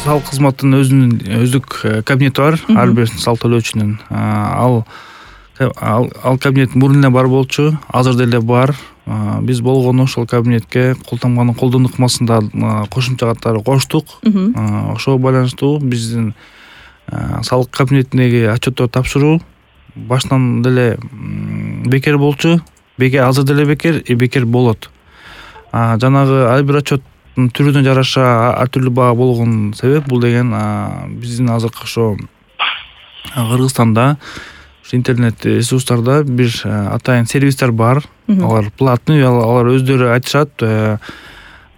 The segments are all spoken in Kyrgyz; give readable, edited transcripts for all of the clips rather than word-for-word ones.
салык кызматынын өзүнүн өздүк кабинети бар. Ар бир салык төлөөчүнүн ал кабинет мурун эле бар болчу, азыр деле бар. Биз болгону ошол кабинетке кол тамганын колдон ыкмасында кошумча катары коштук. Ошого байланыштуу биздин салык кабинетиндеги отчетторду тапшыруу баштан деле бекер болчу. Азыр деле бекер болот. Жанагы ар бир отчеттун түрүнө жараша ар түрдүү баа болгон себеп бул деген биздин азыркы ошо Кыргызстанда интернет ресурстарда бир атайын сервистер бар. Алар платный, алар өздөрү айтышат. То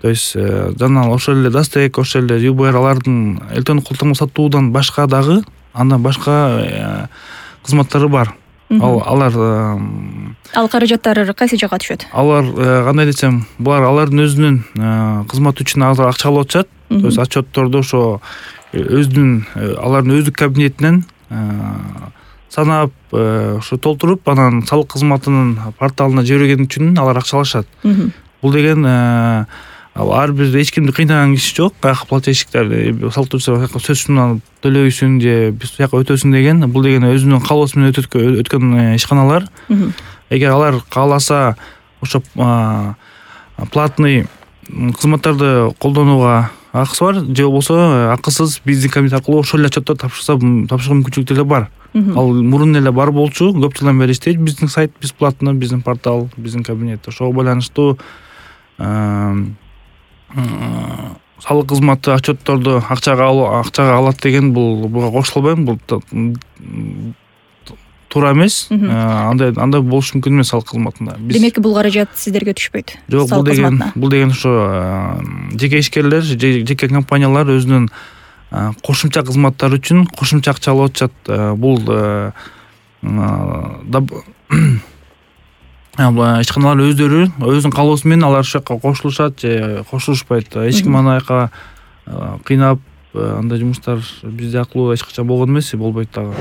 есть жана ошол эле Дастек, ошол эле ЮБР алардын электрондук кол тамга сатуудан башка дагы андан башка кызматтары бар. Ал каражаттар кайсы жакка түшөт? Алар кандай десем, булар алардын өзүнүн кызматы үчүн акча алып атышат. То есть отчетторду ошо алардын өздүк кабинетинен санап ошо толтуруп, анан салык кызматынын порталына жиберген үчүн алар акча алышат. Бул деген ар бир эч кимди кыйнаган киши жок. Каяка плательщиктер, салык төлөөчүлөр сөзсүн алып төлөбөйсүн же биз бияка өтөсүн деген. Бул деген өзүнүн каалоосу менен өткөн ишканалар. Эгер алар кааласа ошо платный кызматтарды колдонууга акысы бар, же болбосо акысыз биздин кабинет аркылуу ошол эле отчеттор тапшыруу мүмкүнчүлүк деле бар. Ал мурун эле бар болчу, көп жылдан бери иштейт биздин сайт, бесплатно, биздин портал, биздин кабинет. Ошого байланыштуу салык кызматы отчетторду акчага алат деген буга кошула албайм. Бул туура эмес. Андай болушу мүмкүн эмес салык кызматында. Демек бул каражат сиздерге түшпөйт. Жок, бул деген ошо жеке ишкерлер, жеке компаниялар өзүнүн кошумча кызматтар үчүн кошумча акча алып атышат. Бул ишканалар өздөрү өзүнүн каалоосу менен алар ошол жака кошулушат же кошулушпайт. Эч ким аны ака кыйнап андай жумуштар бизде аркылуу эч качан болгон эмес, болбойт дагы.